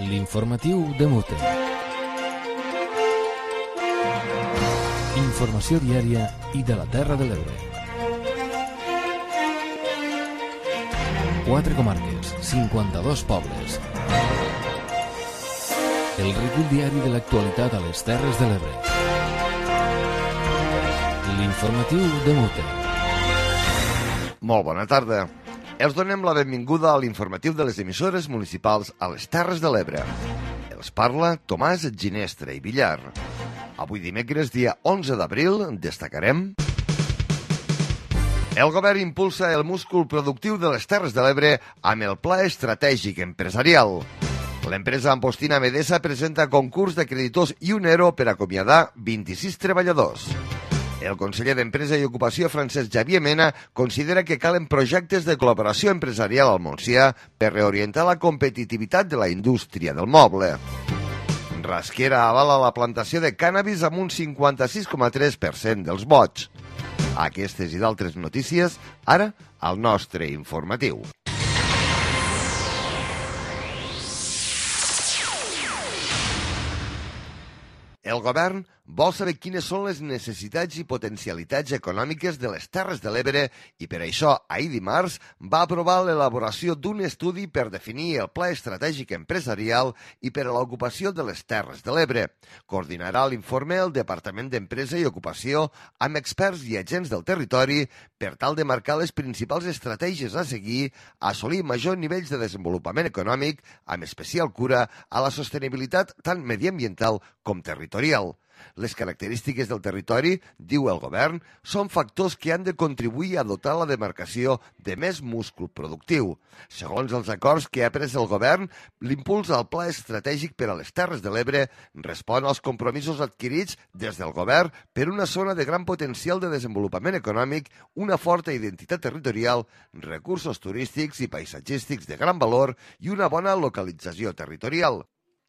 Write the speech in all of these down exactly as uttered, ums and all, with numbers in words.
L'informatiu de Mute. Informació diària i de la Terra de l'Ebre. Quatre comarques, cinquanta-dos pobles. El recull diari de l'actualitat a les Terres de l'Ebre. L'informatiu de Mute. Molt bona tarda. Els donem la benvinguda a l'informatiu de les emissores municipals a les Terres de l'Ebre. Els parla Tomàs Ginestra i Villar. Avui dimecres, dia onze d'abril, destacarem... El govern impulsa el múscul productiu de les Terres de l'Ebre amb el Pla Estratègic Empresarial. L'empresa Ampostina Medesa presenta concurs de creditors i un ERO per acomiadar vint-i-sis treballadors. El conseller d'Empresa i Ocupació, Francesc Xavier Mena, considera que calen projectes de col·laboració empresarial al Montsià per reorientar la competitivitat de la indústria del moble. Rasquera avala la plantació de cànnabis amb un cinquanta-sis coma tres per cent dels vots. Aquestes i d'altres notícies, ara al nostre informatiu. El govern vol saber quines són les necessitats i potencialitats econòmiques de les Terres de l'Ebre i per això ahir dimarts va aprovar l'elaboració d'un estudi per definir el Pla Estratègic Empresarial i per a l'ocupació de les Terres de l'Ebre. Coordinarà l'informe el Departament d'Empresa i Ocupació amb experts i agents del territori per tal de marcar les principals estratègies a seguir, assolir majors nivells de desenvolupament econòmic, amb especial cura a la sostenibilitat tant mediambiental com territorial. Les característiques del territori, diu el govern, són factors que han de contribuir a dotar la demarcació de més múscul productiu. Segons els acords que ha pres el govern, l'impuls al Pla Estratègic per a les Terres de l'Ebre respon als compromisos adquirits des del govern per una zona de gran potencial de desenvolupament econòmic, una forta identitat territorial, recursos turístics i paisatgístics de gran valor i una bona localització territorial.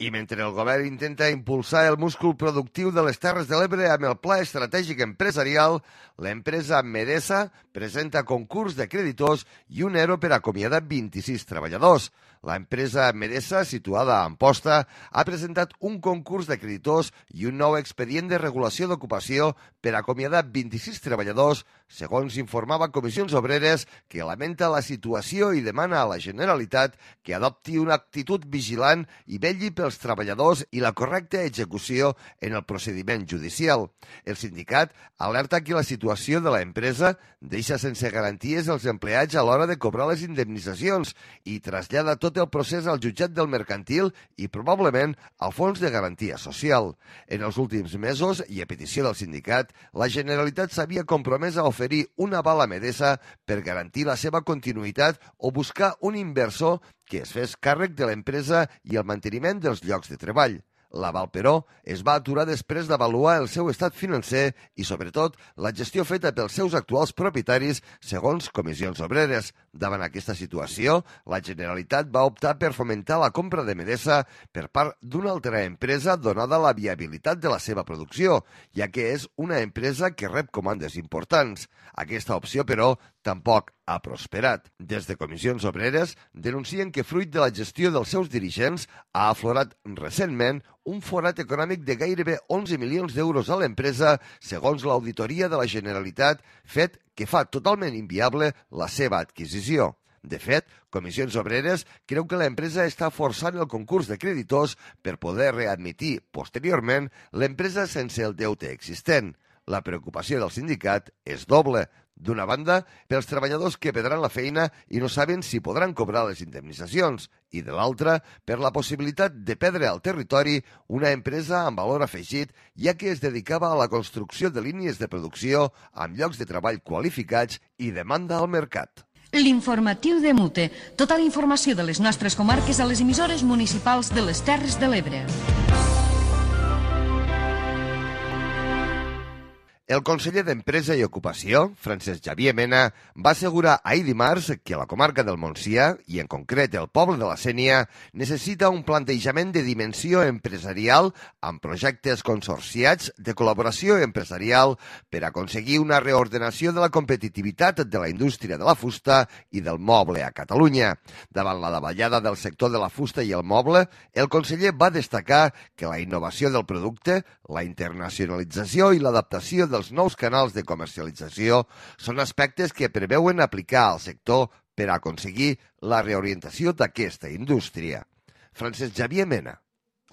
I mentre el govern intenta impulsar el múscul productiu de les Terres de l'Ebre amb el Pla Estratègic Empresarial, l'empresa Medesa presenta concurs de creditors i un ERO per acomiadar vint-i-sis treballadors. L'empresa Medesa, situada a Amposta, ha presentat un concurs de creditors i un nou expedient de regulació d'ocupació per acomiadar vint-i-sis treballadors, segons informava Comissions Obreres, que lamenta la situació i demana a la Generalitat que adopti una actitud vigilant i vetlli pels treballadors i la correcta execució en el procediment judicial. El sindicat alerta que la situació de l'empresa deixa sense garanties els empleats a l'hora de cobrar les indemnitzacions i trasllada tot el procés al jutjat del mercantil i probablement al fons de garantia social. En els últims mesos, i a petició del sindicat, la Generalitat s'havia compromès a oferir una aval a Medesa per garantir la seva continuïtat o buscar un inversor que es fes càrrec de l'empresa i el manteniment dels llocs de treball. L'aval, però, es va aturar després d'avaluar el seu estat financer i, sobretot, la gestió feta pels seus actuals propietaris, segons Comissions Obreres. Davant aquesta situació, la Generalitat va optar per fomentar la compra de Medesa per part d'una altra empresa donada la viabilitat de la seva producció, ja que és una empresa que rep comandes importants. Aquesta opció, però, tampoc ha prosperat. Des de Comissions Obreres denuncien que, fruit de la gestió dels seus dirigents, ha aflorat recentment un forat econòmic de gairebé onze milions d'euros a l'empresa, segons l'auditoria de la Generalitat, fet que fa totalment inviable la seva adquisició. De fet, Comissions Obreres creu que l'empresa està forçant el concurs de creditors per poder readmitir, posteriorment, l'empresa sense el deute existent. La preocupació del sindicat és doble. D'una banda, pels treballadors que perdran la feina i no saben si podran cobrar les indemnitzacions, i de l'altra, per la possibilitat de perdre al territori una empresa amb valor afegit, ja que es dedicava a la construcció de línies de producció amb llocs de treball qualificats i demanda al mercat. L'informatiu de Mute. Tota la informació de les nostres comarques a les emissores municipals de les Terres de l'Ebre. El conseller d'Empresa i Ocupació, Francesc Xavier Mena, va assegurar ahir dimarts que la comarca del Montsià, i en concret el poble de la Sénia, necessita un plantejament de dimensió empresarial amb projectes consorciats de col·laboració empresarial per aconseguir una reordenació de la competitivitat de la indústria de la fusta i del moble a Catalunya. Davant la davallada del sector de la fusta i el moble, el conseller va destacar que la innovació del producte, la internacionalització i l'adaptació dels nous canals de comercialització són aspectes que preveuen aplicar al sector per aconseguir la reorientació d'aquesta indústria. Francesc Xavier Mena.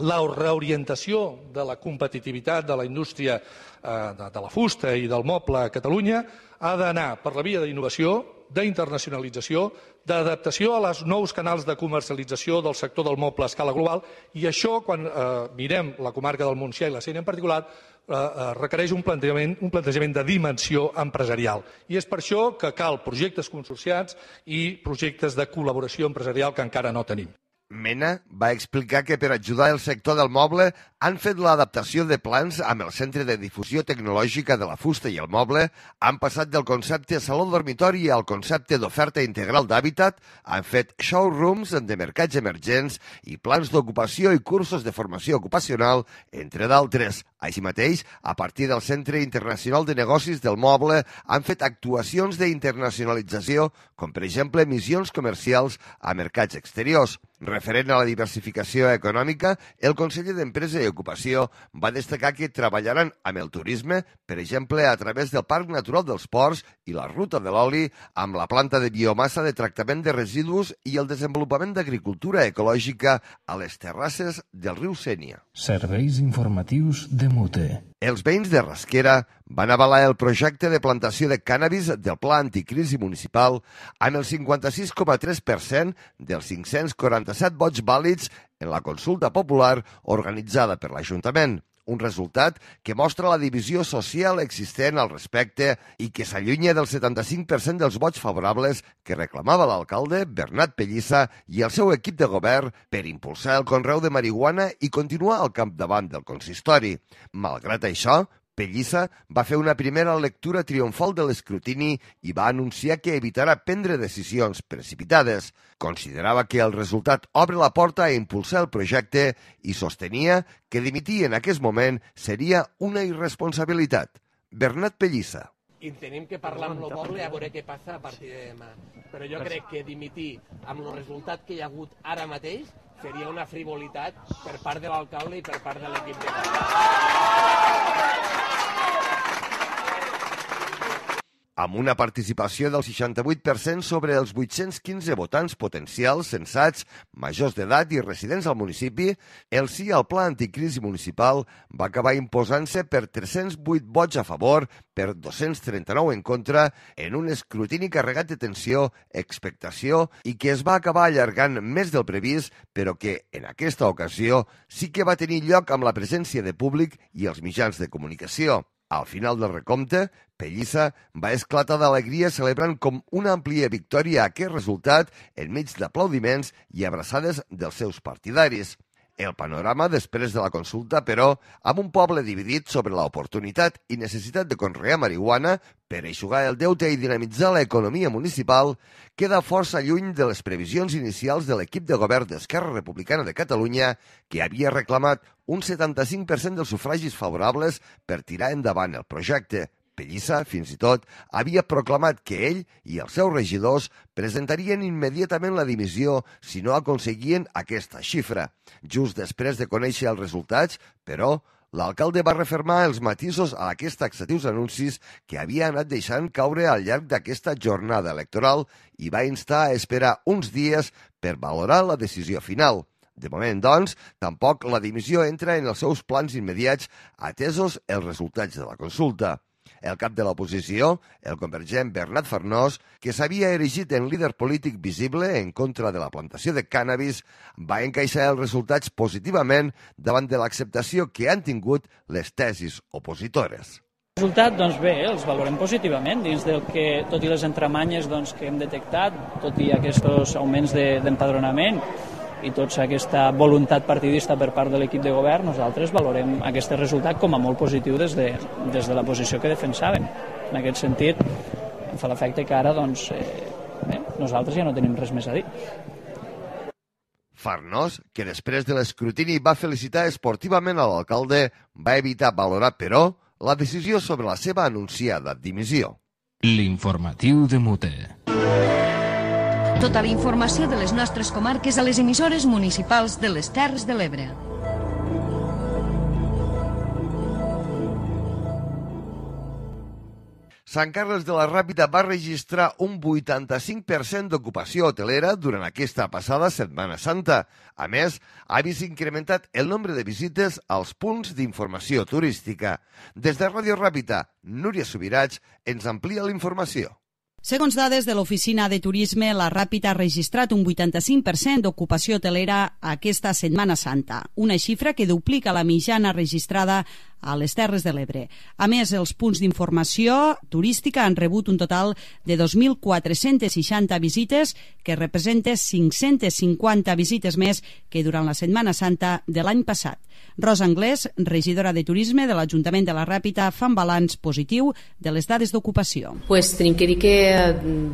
La reorientació de la competitivitat de la indústria de la fusta i del moble a Catalunya ha d'anar per la via d'innovació, d'internacionalització, d'adaptació a els nous canals de comercialització del sector del moble a escala global, i això, quan eh, mirem la comarca del Montsià i la Sénia en particular, eh, eh, requereix un plantejament, un plantejament de dimensió empresarial. I és per això que cal projectes consorciats i projectes de col·laboració empresarial que encara no tenim. Mena va explicar que per ajudar el sector del moble han fet l'adaptació de plans amb el Centre de Difusió Tecnològica de la Fusta i el Moble, han passat del concepte saló dormitori al concepte d'oferta integral d'hàbitat, han fet showrooms de mercats emergents i plans d'ocupació i cursos de formació ocupacional, entre d'altres. Així mateix, a partir del Centre Internacional de Negocis del Moble, han fet actuacions d'internacionalització, com per exemple missions comercials a mercats exteriors. Referent a la diversificació econòmica, el conseller d'Empresa i Ocupació va destacar que treballaran amb el turisme, per exemple, a través del Parc Natural dels Ports i la Ruta de l'Oli, amb la planta de biomassa de tractament de residus i el desenvolupament d'agricultura ecològica a les terrasses del riu Sénia. Serveis informatius de Mute. Els veïns de Rasquera van avalar el projecte de plantació de cànnabis del Pla Anticrisi Municipal amb el cinquanta-sis coma tres per cent dels cinc-cents quaranta-set vots vàlids en la consulta popular organitzada per l'Ajuntament. Un resultat que mostra la divisió social existent al respecte i que s'allunya del setanta-cinc per cent dels vots favorables que reclamava l'alcalde Bernat Pellissa i el seu equip de govern per impulsar el conreu de marihuana i continuar al capdavant del consistori. Malgrat això, Pellissa va fer una primera lectura triomfal de l'escrutini i va anunciar que evitarà prendre decisions precipitades. Considerava que el resultat obre la porta a impulsar el projecte i sostenia que dimitir en aquest moment seria una irresponsabilitat. Bernat Pellissa. I tenim que parlar amb el poble a veure què passa a partir de demà. Però jo crec que dimitir amb el resultat que hi ha hagut ara mateix seria una frivolitat per part de l'alcalde i per part de l'equip de govern. Amb una participació del seixanta-vuit per cent sobre els vuit-cents quinze votants potencials censats, majors d'edat i residents al municipi, el sí al Pla Anticrisi Municipal va acabar imposant-se per tres-cents vuit vots a favor, per dos-cents trenta-nou en contra, en un escrutini carregat de tensió, expectació i que es va acabar allargant més del previst, però que, en aquesta ocasió, sí que va tenir lloc amb la presència de públic i els mitjans de comunicació. Al final del recompte, Pellissa va esclatar d'alegria celebrant com una àmplia victòria aquest resultat enmig d'aplaudiments i abraçades dels seus partidaris. El panorama després de la consulta, però, amb un poble dividit sobre l'oportunitat i necessitat de conrear marihuana per eixugar el deute i dinamitzar l'economia municipal, queda força lluny de les previsions inicials de l'equip de govern d'Esquerra Republicana de Catalunya, que havia reclamat un setanta-cinc per cent dels sufragis favorables per tirar endavant el projecte. Pellissa, fins i tot, havia proclamat que ell i els seus regidors presentarien immediatament la dimissió si no aconseguien aquesta xifra. Just després de conèixer els resultats, però, l'alcalde va refermar els matisos a aquests taxatius anuncis que havia anat deixant caure al llarg d'aquesta jornada electoral i va instar a esperar uns dies per valorar la decisió final. De moment, doncs, tampoc la dimissió entra en els seus plans immediats atesos els resultats de la consulta. El cap de l'oposició, el convergent Bernat Farnós, que s'havia erigit en líder polític visible en contra de la plantació de cànnabis, va encaixar els resultats positivament davant de l'acceptació que han tingut les tesis opositores. El resultat, doncs bé, els valorem positivament dins del que, tot i les entramanyes doncs, que hem detectat, tot i aquests augments de, d'empadronament, i tota aquesta voluntat partidista per part de l'equip de govern, nosaltres valorem aquest resultat com a molt positiu des de, des de la posició que defensàvem. En aquest sentit, em fa l'efecte que ara doncs, eh, bé, nosaltres ja no tenim res més a dir. Farnós, que després de l'escrutini va felicitar esportivament a l'alcalde, va evitar valorar, però, la decisió sobre la seva anunciada dimissió. L'informatiu de Mute. Tota la informació de les nostres comarques a les emissores municipals de les Terres de l'Ebre. Sant Carles de la Ràpita va registrar un vuitanta-cinc per cent d'ocupació hotelera durant aquesta passada Setmana Santa. A més, ha vist incrementat el nombre de visites als punts d'informació turística. Des de Ràdio Ràpita, Núria Subirats ens amplia la informació. Segons dades de l'Oficina de Turisme, la Ràpita ha registrat un vuitanta-cinc per cent d'ocupació hotelera aquesta Setmana Santa, una xifra que duplica la mitjana registrada a les Terres de l'Ebre. A més, els punts d'informació turística han rebut un total de dos mil quatre-cents seixanta visites, que representa cinc-centes cinquanta visites més que durant la Setmana Santa de l'any passat. Rosa Anglès, regidora de Turisme de l'Ajuntament de la Ràpita, fa un balanç positiu de les dades d'ocupació. Pues tenim que dir que,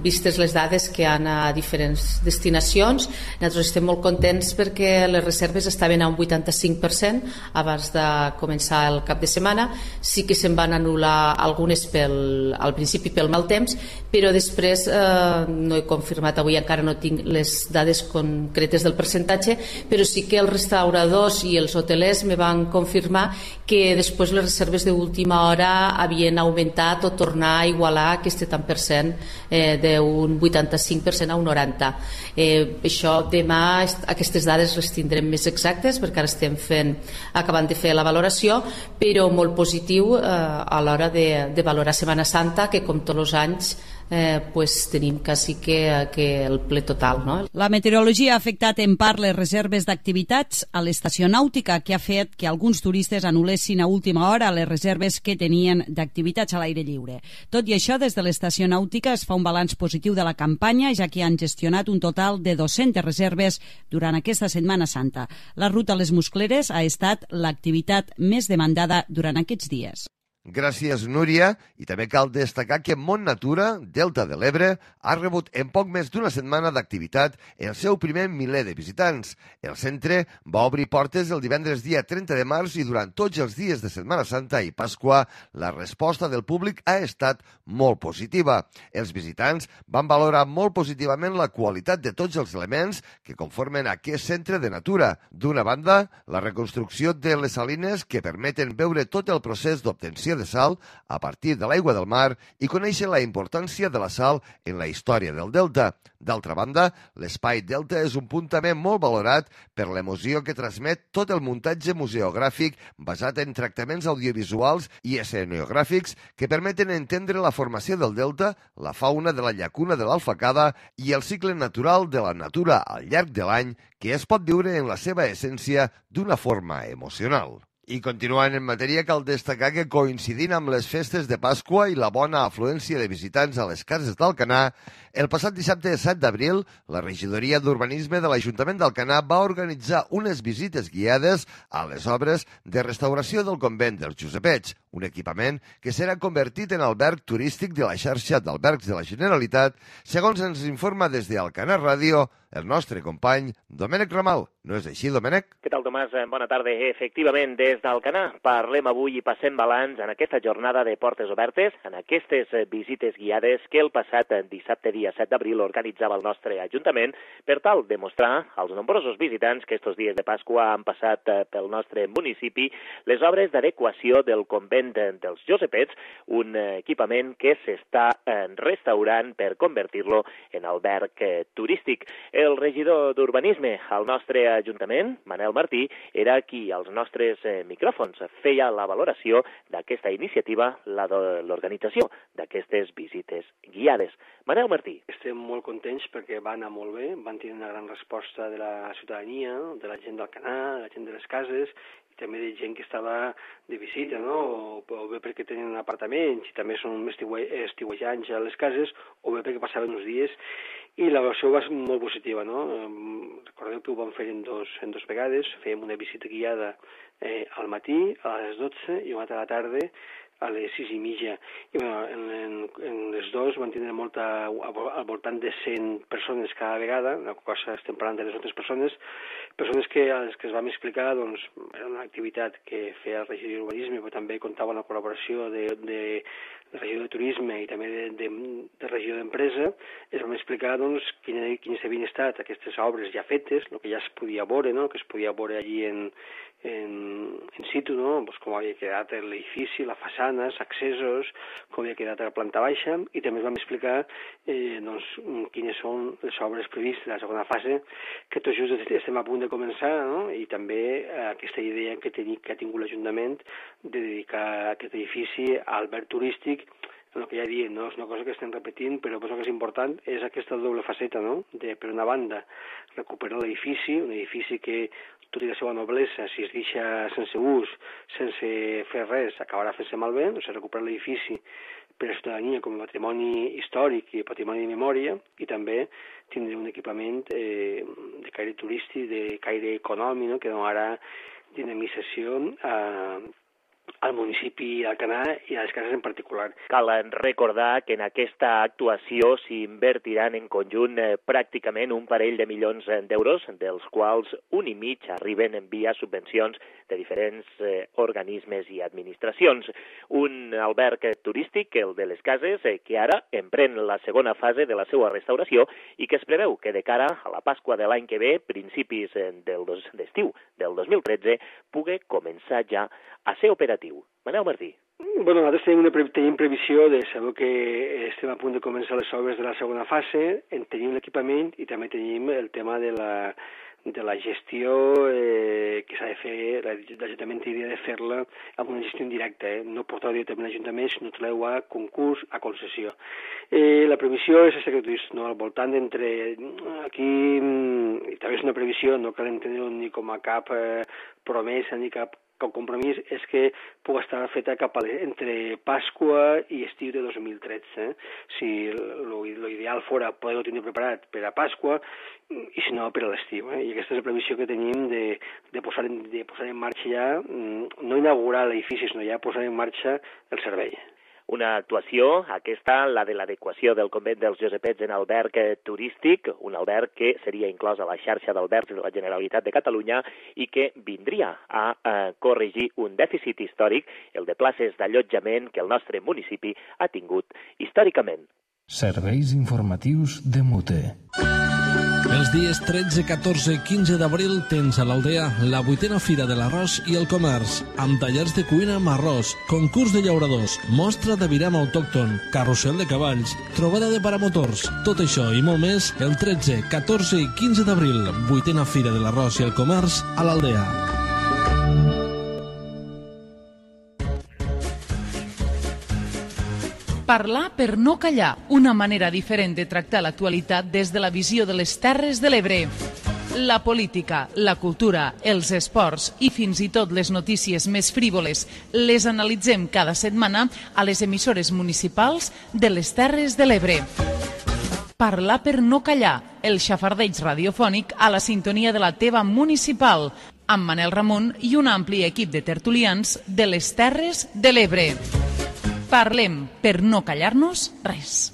vistes les dades que hi ha a diferents destinacions, nosaltres estem molt contents perquè les reserves estaven a un vuitanta-cinc per cent abans de començar el cap de setmana. Sí que se'n van anul·lar algunes pel, al principi pel mal temps, però després eh, no he confirmat, avui encara no tinc les dades concretes del percentatge, però sí que els restauradors i els hotelers me van confirmar que després les reserves d'última hora havien augmentat o tornar a igualar aquest tant per cent eh, d'un vuitanta-cinc per cent a un noranta. Eh, això demà aquestes dades les tindrem més exactes perquè ara estem fent, acabant de fer la valoració, però molt positiu eh, a l'hora de, de valorar Setmana Santa, que com tots els anys eh, pues, tenim quasi que, que el ple total. No? La meteorologia ha afectat en part les reserves d'activitats a l'estació nàutica, que ha fet que alguns turistes anul·lessin a última hora les reserves que tenien d'activitats a l'aire lliure. Tot i això, des de l'estació nàutica es fa un balanç positiu de la campanya, ja que han gestionat un total de dues-centes reserves durant aquesta Setmana Santa. La ruta a les Muscleres ha estat l'activitat més demandada durant aquests dies. Gràcies, Núria. I també cal destacar que Mont Natura, Delta de l'Ebre, ha rebut en poc més d'una setmana d'activitat el seu primer miler de visitants. El centre va obrir portes el divendres dia trenta de març i durant tots els dies de Setmana Santa i Pasqua la resposta del públic ha estat molt positiva. Els visitants van valorar molt positivament la qualitat de tots els elements que conformen aquest centre de natura. D'una banda, la reconstrucció de les salines que permeten veure tot el procés d'obtenció de sal a partir de l'aigua del mar i conèixer la importància de la sal en la història del delta. D'altra banda, l'espai delta és un punt també molt valorat per l'emoció que transmet tot el muntatge museogràfic basat en tractaments audiovisuals i escenogràfics que permeten entendre la formació del delta, la fauna de la llacuna de l'Alfacada i el cicle natural de la natura al llarg de l'any que es pot viure en la seva essència d'una forma emocional. I continuant en matèria, cal destacar que coincidint amb les festes de Pasqua i la bona afluència de visitants a les cases d'Alcanar, el passat dissabte set d'abril, la regidoria d'Urbanisme de l'Ajuntament d'Alcanar va organitzar unes visites guiades a les obres de restauració del convent dels Josepets, un equipament que serà convertit en alberg turístic de la xarxa d'albergs de la Generalitat, segons ens informa des d'Alcanar Ràdio el nostre company Domènec Ramal. No és així, Domènec? Què tal, Tomàs? Bona tarda. Efectivament, des d'Alcanar parlem avui i passem balanç en aquesta jornada de portes obertes, en aquestes visites guiades que el passat dissabte dia set d'abril organitzava el nostre Ajuntament per tal de mostrar als nombrosos visitants que estos dies de Pasqua han passat pel nostre municipi les obres d'adequació del convent dels Josepets, un equipament que s'està restaurant per convertir-lo en alberg turístic. El regidor d'Urbanisme al nostre Ajuntament, Manel Martí, era qui als nostres micròfons feia la valoració d'aquesta iniciativa, la de l'organització d'aquestes visites guiades. Manel Martí. Estem molt contents perquè va anar molt bé, van tenir una gran resposta de la ciutadania, de la gent d'Alcanar, de la gent de les cases, i també de gent que estava de visita, no? o, o bé perquè tenien apartaments i també són estiuejants a les cases, o bé perquè passaven uns dies. i la valoració va ser molt positiva, no? Recordeu que ho vam fer en dos, en dos vegades, fèiem una visita guiada eh, al matí, a les dotze, i una altra a la tarda, a les sis i mitja. I bueno, en, en, en les dues van tindre molta, al voltant de cent persones cada vegada, una cosa estem parlant de les altres persones, persones que a les que es vam explicar, doncs, era una activitat que feia el regidor d'urbanisme, però també comptava amb la col·laboració de, de, de regidor de turisme i també de, de, de regidor d'empresa. Es vam explicar, doncs, quines, quines havien estat aquestes obres ja fetes, el que ja es podia veure, no?, que es podia veure allí en, en, en situ, no?, pues com havia quedat l'edifici, la façana, els accessos, com havia quedat a la planta baixa, i també es vam explicar eh, doncs, quines són les obres previstes de la segona fase, que tot just estem a punt de començar, no?, i també eh, aquesta idea que, teni, que ha tingut l'Ajuntament de dedicar aquest edifici a alberg turístic. El que ja diem, no? És una cosa que estem repetint, però el que és important és aquesta doble faceta, no?, de, per una banda, recuperar l'edifici, un edifici que, tot i la seva noblesa, si es deixa sense ús, sense fer res, acabarà fent-se malbé, o sigui, recuperar l'edifici per a la ciutadania com a patrimoni històric i patrimoni de memòria, i també tindre un equipament eh, de caire turístic, de caire econòmic, no?, que donarà dinamització a al municipi d'Alcanar i a les cases en particular. Cal recordar que en aquesta actuació s'invertiran en conjunt eh, pràcticament un parell de milions d'euros, dels quals un i mig arriben en via subvencions de diferents eh, organismes i administracions. Un alberg turístic, el de les cases, eh, que ara emprèn la segona fase de la seva restauració i que es preveu que de cara a la Pasqua de l'any que ve, principis del dos, d'estiu del dos mil tretze, pugui començar ja a ser operatiu. Manel Martí. Bueno, nosaltres tenim, una pre tenim previsió de saber que estem a punt de començar les obres de la segona fase, en tenim l'equipament i també tenim el tema de la, de la gestió eh, que s'ha de fer, l'Ajuntament hauria de fer-la amb una gestió indirecta, eh? No portar directament a l'Ajuntament, sinó treu a concurs, a concessió. Eh, la previsió és aquest, no? Al voltant d'entre... Aquí i també és una previsió, no cal entendre-ho ni com a cap eh, promesa ni cap el compromís, és que pugui estar feta cap a entre Pasqua i estiu de dos mil tretze. Eh? Si l'ideal fora poder-ho tenir preparat per a Pasqua i si no per a l'estiu. Eh? I aquesta és la previsió que tenim de, de, posar, en, de posar en marxa ja, no inaugurar l'edifici, sinó ja posar en marxa el servei. Una actuació, aquesta, la de l'adequació del convent dels Josepets en alberg turístic, un alberg que seria inclòs a la xarxa d'albergs de la Generalitat de Catalunya i que vindria a eh, corregir un dèficit històric, el de places d'allotjament que el nostre municipi ha tingut històricament. Serveis informatius de Mute. Els dies tretze, catorze i quinze d'abril tens a l'Aldea la vuitena Fira de l'Arròs i el Comerç, amb tallers de cuina amb arròs, concurs de llauradors, mostra de viram autòcton, carrusel de cavalls, trobada de paramotors. Tot això i molt més el tretze, catorze i quinze d'abril, vuitena Fira de l'Arròs i el Comerç a l'Aldea. Parlar per no callar, una manera diferent de tractar l'actualitat des de la visió de les Terres de l'Ebre. La política, la cultura, els esports i fins i tot les notícies més frívoles les analitzem cada setmana a les emissores municipals de les Terres de l'Ebre. Parlar per no callar, el xafardeig radiofònic a la sintonia de la teva municipal, amb Manel Ramon i un ampli equip de tertulians de les Terres de l'Ebre. Parlem per no callar-nos res.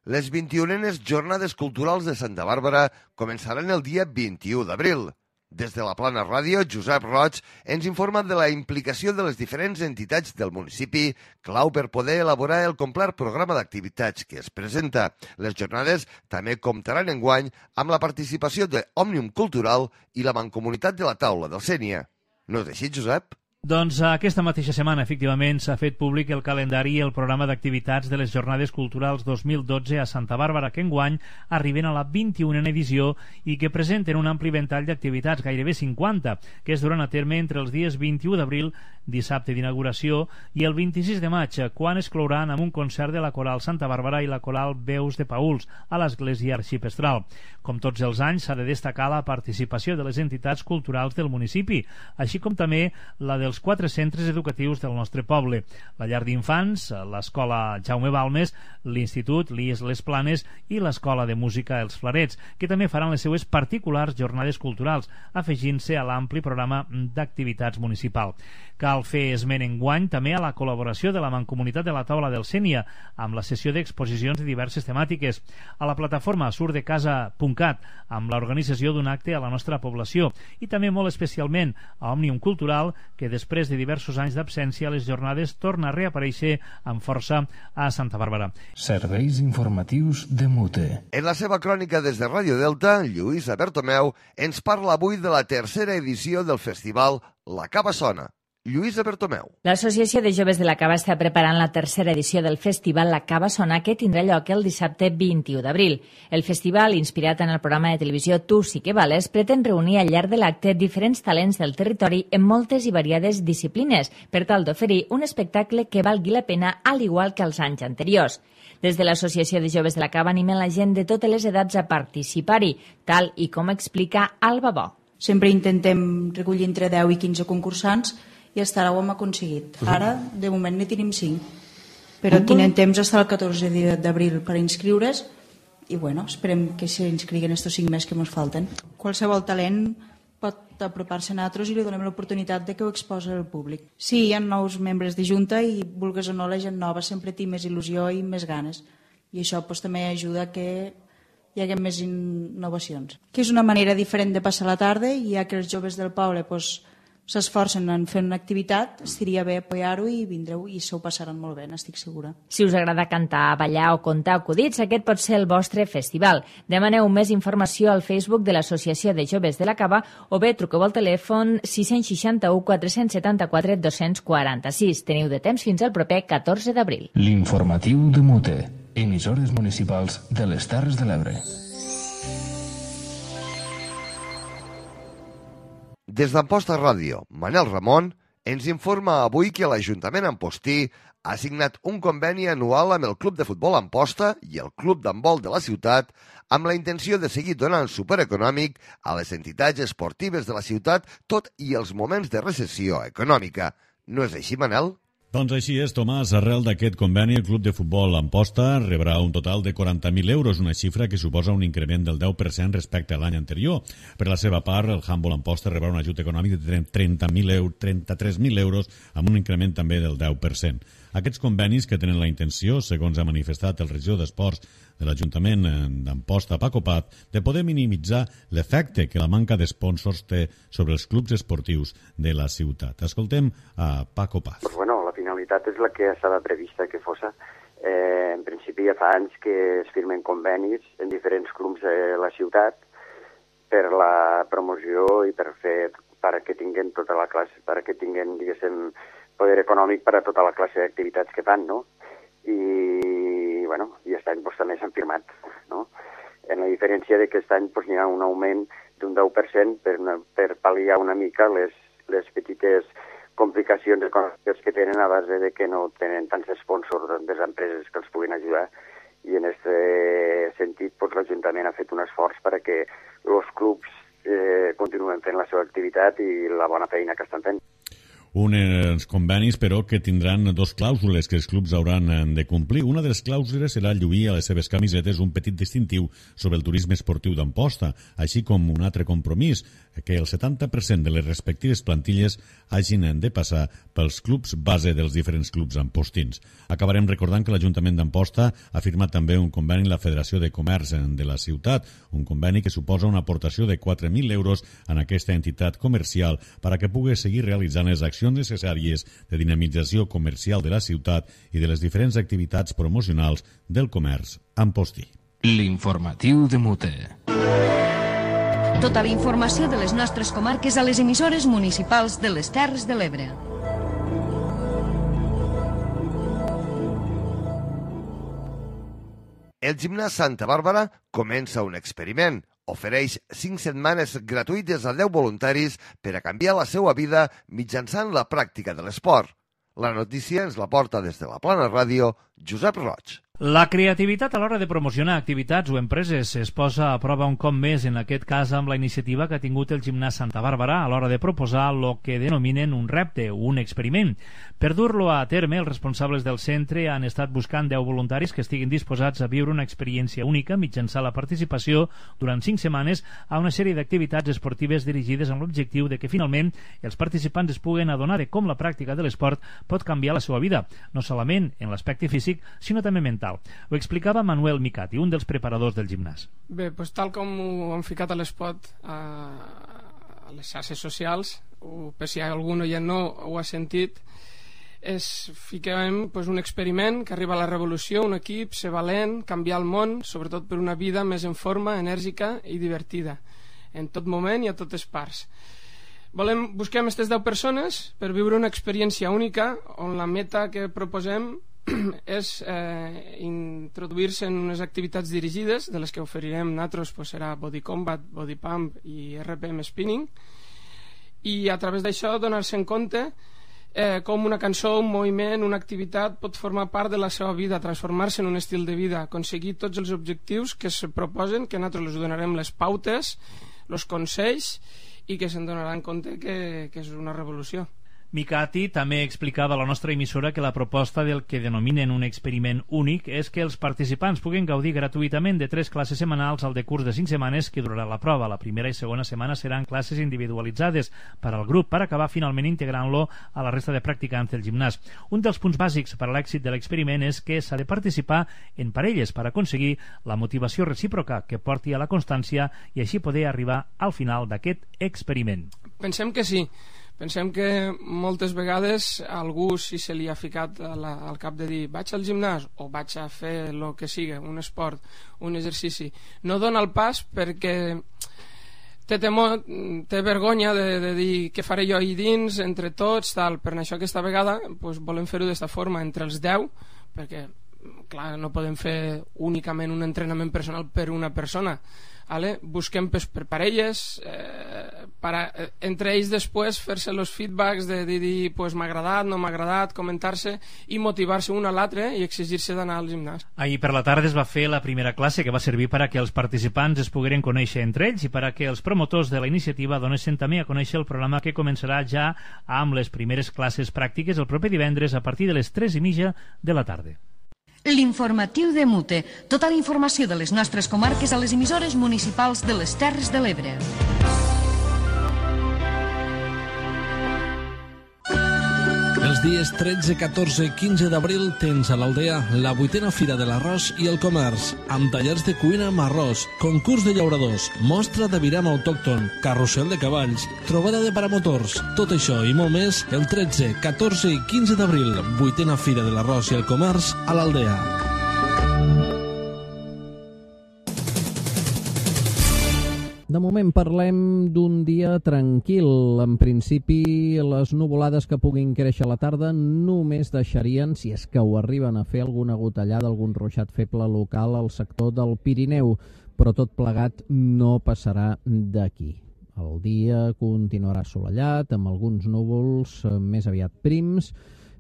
Les vint-i-unenes Jornades Culturals de Santa Bàrbara començaran el dia vint-i-u d'abril. Des de la Plana Ràdio, Josep Roig ens informa de la implicació de les diferents entitats del municipi, clau per poder elaborar el complet programa d'activitats que es presenta. Les jornades també comptaran enguany amb la participació de Òmnium Cultural i la Mancomunitat de la Taula del Sénia. No és així, Josep? Doncs aquesta mateixa setmana, efectivament, s'ha fet públic el calendari i el programa d'activitats de les Jornades Culturals dos mil dotze a Santa Bàrbara, que enguany arriben a la vint-i-unena edició i que presenten un ampli ventall d'activitats, gairebé cinquanta, que es duran a terme entre els dies vint-i-u d'abril, dissabte d'inauguració, i el vint-i-sis de maig, quan es clouran amb un concert de la Coral Santa Bàrbara i la Coral Veus de Pauls a l'Església Arxipestral. Com tots els anys, s'ha de destacar la participació de les entitats culturals del municipi, així com també la dels dels quatre centres educatius del nostre poble: la llar d'infants, l'escola Jaume Balmes, l'institut l'I E S Les Planes i l'escola de música Els Flarets, que també faran les seues particulars jornades culturals, afegint-se a l'ampli programa d'activitats municipal. Cal fer esment enguany també a la col·laboració de la Mancomunitat de la Taula del Sénia amb la sessió d'exposicions de diverses temàtiques, a la plataforma surdecasa punt cat amb l'organització d'un acte a la nostra població i també molt especialment a Òmnium Cultural, que després de diversos anys d'absència a les jornades torna a reaparèixer amb força a Santa Bàrbara. Serveis informatius de Mute. En la seva crònica des de Ràdio Delta, Lluïsa Bertomeu ens parla avui de la tercera edició del festival La Cava Sona. Lluïsa Bertomeu. L'Associació de Joves de la Cava està preparant la tercera edició del festival La Cava Sona, que tindrà lloc el dissabte vint-i-u d'abril. El festival, inspirat en el programa de televisió Tu sí que vales, pretén reunir al llarg de l'acte diferents talents del territori en moltes i variades disciplines, per tal d'oferir un espectacle que valgui la pena, al igual que els anys anteriors. Des de l'Associació de Joves de la Cava animen la gent de totes les edats a participar-hi, tal i com explica Alba Bo. Sempre intentem recollir entre deu i quinze concursants i fins ara ho hem aconseguit. Ara, de moment, ne tenim cinc. Però tenen temps fins al catorze d'abril per inscriure's i, bueno, esperem que s'inscriguen estos cinc mesos que ens falten. Qualsevol talent pot apropar-se a nosaltres i li donem l'oportunitat de que ho exposi al públic. Sí, hi ha nous membres de Junta i, vulgues o no, la gent nova sempre té més il·lusió i més ganes. I això pues, també ajuda que hi hagi més innovacions. Que és una manera diferent de passar la tarda i ja que els joves del poble pues, s'esforcen en fer una activitat, estaria bé apoyar-ho i vindreu i se ho passaran molt bé, n'estic segura. Si us agrada cantar, ballar o contar acudits, aquest pot ser el vostre festival. Demaneu més informació al Facebook de l'Associació de Joves de la Cava o bé truqueu al telèfon sis sis u, quatre set quatre, dos quatre sis. Teniu de temps fins al proper catorze d'abril. L'informatiu de Mute, emissores municipals de les Terres de l'Ebre. Des d'Amposta Ràdio, Manel Ramon ens informa avui que l'Ajuntament Ampostí ha signat un conveni anual amb el Club de Futbol Amposta i el Club d'Handbol de la ciutat amb la intenció de seguir donant suport econòmic a les entitats esportives de la ciutat tot i els moments de recessió econòmica. No és així, Manel? Doncs així és, Tomàs. Arrel d'aquest conveni, el Club de Futbol Amposta rebrà un total de quaranta mil euros, una xifra que suposa un increment del deu per cent respecte a l'any anterior. Per la seva part, el Handbol Amposta rebrà un ajut econòmic de trenta-tres mil euros, amb un increment també del deu per cent. Aquests convenis que tenen la intenció, segons ha manifestat el regidor d'Esports de l'Ajuntament d'Amposta, Paco Paz, de poder minimitzar l'efecte que la manca d'esponsors té sobre els clubs esportius de la ciutat. Escoltem a Paco Paz. Pues bueno, la finalitat és la que estava prevista que fos. Eh, en principi ja fa anys que es firmen convenis en diferents clubs de la ciutat per la promoció i per fer perquè tinguen tota la classe, perquè tinguen, diguéssim, poder econòmic per a tota la classe d'activitats que fan, no? I, bueno, i aquest any pues, també s'han firmat, no? En la diferència de que aquest any pues, hi ha un augment d'un deu per cent per, una, per pal·liar una mica les, les petites complicacions econòmiques que tenen a base de que no tenen tants sponsors de les empreses que els puguin ajudar. I en aquest sentit pues, l'Ajuntament ha fet un esforç perquè els clubs eh, continuen fent la seva activitat i la bona feina que estan fent. Uns convenis, però, que tindran dos clàusules que els clubs hauran de complir. Una de les clàusules serà lluir a les seves camisetes un petit distintiu sobre el turisme esportiu d'Amposta, així com un altre compromís, que el setanta per cent de les respectives plantilles hagin de passar pels clubs base dels diferents clubs ampostins. Acabarem recordant que l'Ajuntament d'Amposta ha firmat també un conveni amb la Federació de Comerç de la ciutat, un conveni que suposa una aportació de quatre mil euros en aquesta entitat comercial per a que pugui seguir realitzant les accions necessàries de dinamització comercial de la ciutat i de les diferents activitats promocionals del comerç ampostí. L'informatiu de Mute. Tota la informació de les nostres comarques a les emissores municipals de les Terres de l'Ebre. El gimnàs Santa Bàrbara comença un experiment. Ofereix cinc setmanes gratuïtes a deu voluntaris per a canviar la seva vida mitjançant la pràctica de l'esport. La notícia ens la porta des de la Plana Ràdio Josep Roig. La creativitat a l'hora de promocionar activitats o empreses es posa a prova un cop més, en aquest cas amb la iniciativa que ha tingut el Gimnàs Santa Bàrbara a l'hora de proposar el que denominen un repte, un experiment. Per dur-lo a terme, els responsables del centre han estat buscant deu voluntaris que estiguin disposats a viure una experiència única mitjançant la participació durant cinc setmanes a una sèrie d'activitats esportives dirigides amb l'objectiu de que finalment els participants es puguen adonar de com la pràctica de l'esport pot canviar la seva vida, no solament en l'aspecte físic, sinó també mental. Ho explicava Manuel Micati, un dels preparadors del gimnàs. Bé, doncs tal com ho han ficat a l'espot a, a les xarxes socials, o per si algú ja no ho ha sentit, és fiquem doncs, un experiment que arriba a la revolució, un equip, ser valent, canviar el món, sobretot per una vida més en forma, enèrgica i divertida, en tot moment i a totes parts. Volem, busquem aquestes deu persones per viure una experiència única on la meta que proposem és eh, introduir-se en unes activitats dirigides, de les que oferirem nosaltres pues, serà body combat, body pump i R P M spinning, i a través d'això donar-se en compte eh, com una cançó, un moviment, una activitat pot formar part de la seva vida, transformar-se en un estil de vida, aconseguir tots els objectius que es proposen, que nosaltres els donarem les pautes, els consells, i que se'n donaran compte que, que és una revolució. Micati també explicava a la nostra emissora que la proposta del que denominen un experiment únic és que els participants puguen gaudir gratuïtament de tres classes setmanals al decurs de cinc setmanes que durarà la prova. La primera i segona setmana seran classes individualitzades per al grup per acabar finalment integrant-lo a la resta de practicants del gimnàs. Un dels punts bàsics per a l'èxit de l'experiment és que s'ha de participar en parelles per aconseguir la motivació recíproca que porti a la constància i així poder arribar al final d'aquest experiment. Pensem que sí. Pensem que moltes vegades a algú si se li ha ficat a la, al cap de dir vaig al gimnàs o vaig a fer el que sigui, un esport, un exercici, no dona el pas perquè té temor, té vergonya de, de dir què faré jo ahí dins, entre tots, tal. Per això aquesta vegada pues, volem fer-ho d'esta forma, entre els deu, perquè clar, no podem fer únicament un entrenament personal per una persona. Vale? Busquem per, per parelles, eh, para, eh, entre ells després fer-se els feedbacks de dir, dir pues, m'ha agradat, no m'ha agradat, comentar-se i motivar-se un a l'altre i exigir-se d'anar al gimnàs. Ahir per la tarda es va fer la primera classe que va servir per a que els participants es pogueren conèixer entre ells i per a que els promotors de la iniciativa donessin també a conèixer el programa que començarà ja amb les primeres classes pràctiques el proper divendres a partir de les tres i mitja de la tarda. L'informatiu de Mute. Tota la informació de les nostres comarques a les emissores municipals de les Terres de l'Ebre. Els dies tretze, catorze i quinze d'abril tens a l'Aldea la vuitena Fira de l'Arròs i el Comerç, amb tallers de cuina amb arròs, concurs de llauradors, mostra de viram autòcton, carrusel de cavalls, trobada de paramotors, tot això i molt més el tretze, catorze i quinze d'abril, vuitena Fira de l'Arròs i el Comerç a l'Aldea. De moment parlem d'un dia tranquil. En principi, les nuvolades que puguin créixer a la tarda només deixarien, si és que ho arriben a fer, alguna gotellada, algun ruixat feble local al sector del Pirineu, però tot plegat no passarà d'aquí. El dia continuarà assolellat, amb alguns núvols més aviat prims,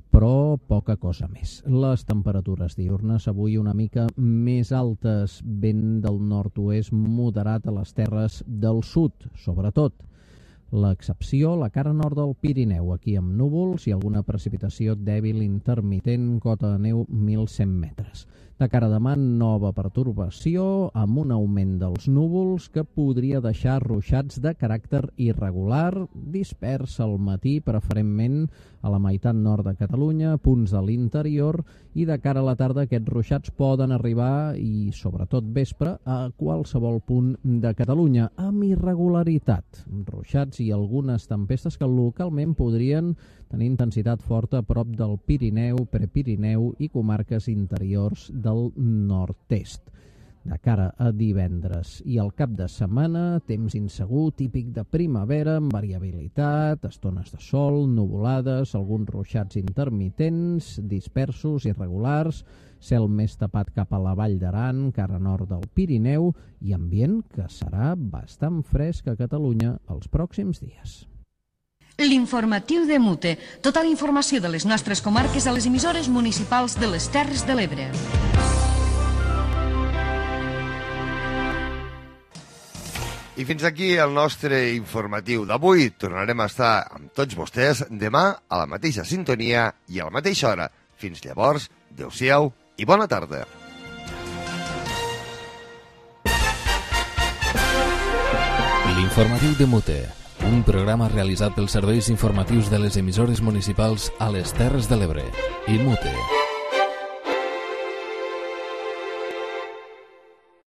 però poca cosa més. Les temperatures diürnes avui una mica més altes, vent del nord-oest moderat a les terres del sud, sobretot. L'excepció, la cara nord del Pirineu, aquí amb núvols i alguna precipitació dèbil intermitent, cota de neu mil cent metres. De cara a demà, nova pertorbació amb un augment dels núvols que podria deixar ruixats de caràcter irregular, dispers al matí, preferentment a la meitat nord de Catalunya, punts de l'interior, i de cara a la tarda aquests ruixats poden arribar, i sobretot vespre, a qualsevol punt de Catalunya, amb irregularitat. Ruixats i algunes tempestes que localment podrien tenir intensitat forta a prop del Pirineu, Prepirineu i comarques interiors del nord-est. De cara a divendres i al cap de setmana, temps insegur, típic de primavera, amb variabilitat, estones de sol, nuvolades, alguns ruixats intermitents, dispersos, irregulars, cel més tapat cap a la Vall d'Aran, cara nord del Pirineu, i ambient que serà bastant fresc a Catalunya els pròxims dies. L'informatiu de Mute. Tota la informació de les nostres comarques a les emissores municipals de les Terres de l'Ebre. I fins aquí el nostre informatiu d'avui. Tornarem a estar amb tots vostès demà a la mateixa sintonia i a la mateixa hora. Fins llavors, adeu-siau i bona tarda. L'informatiu de Mute, un programa realitzat pels serveis informatius de les emissores municipals a les Terres de l'Ebre. I Mute.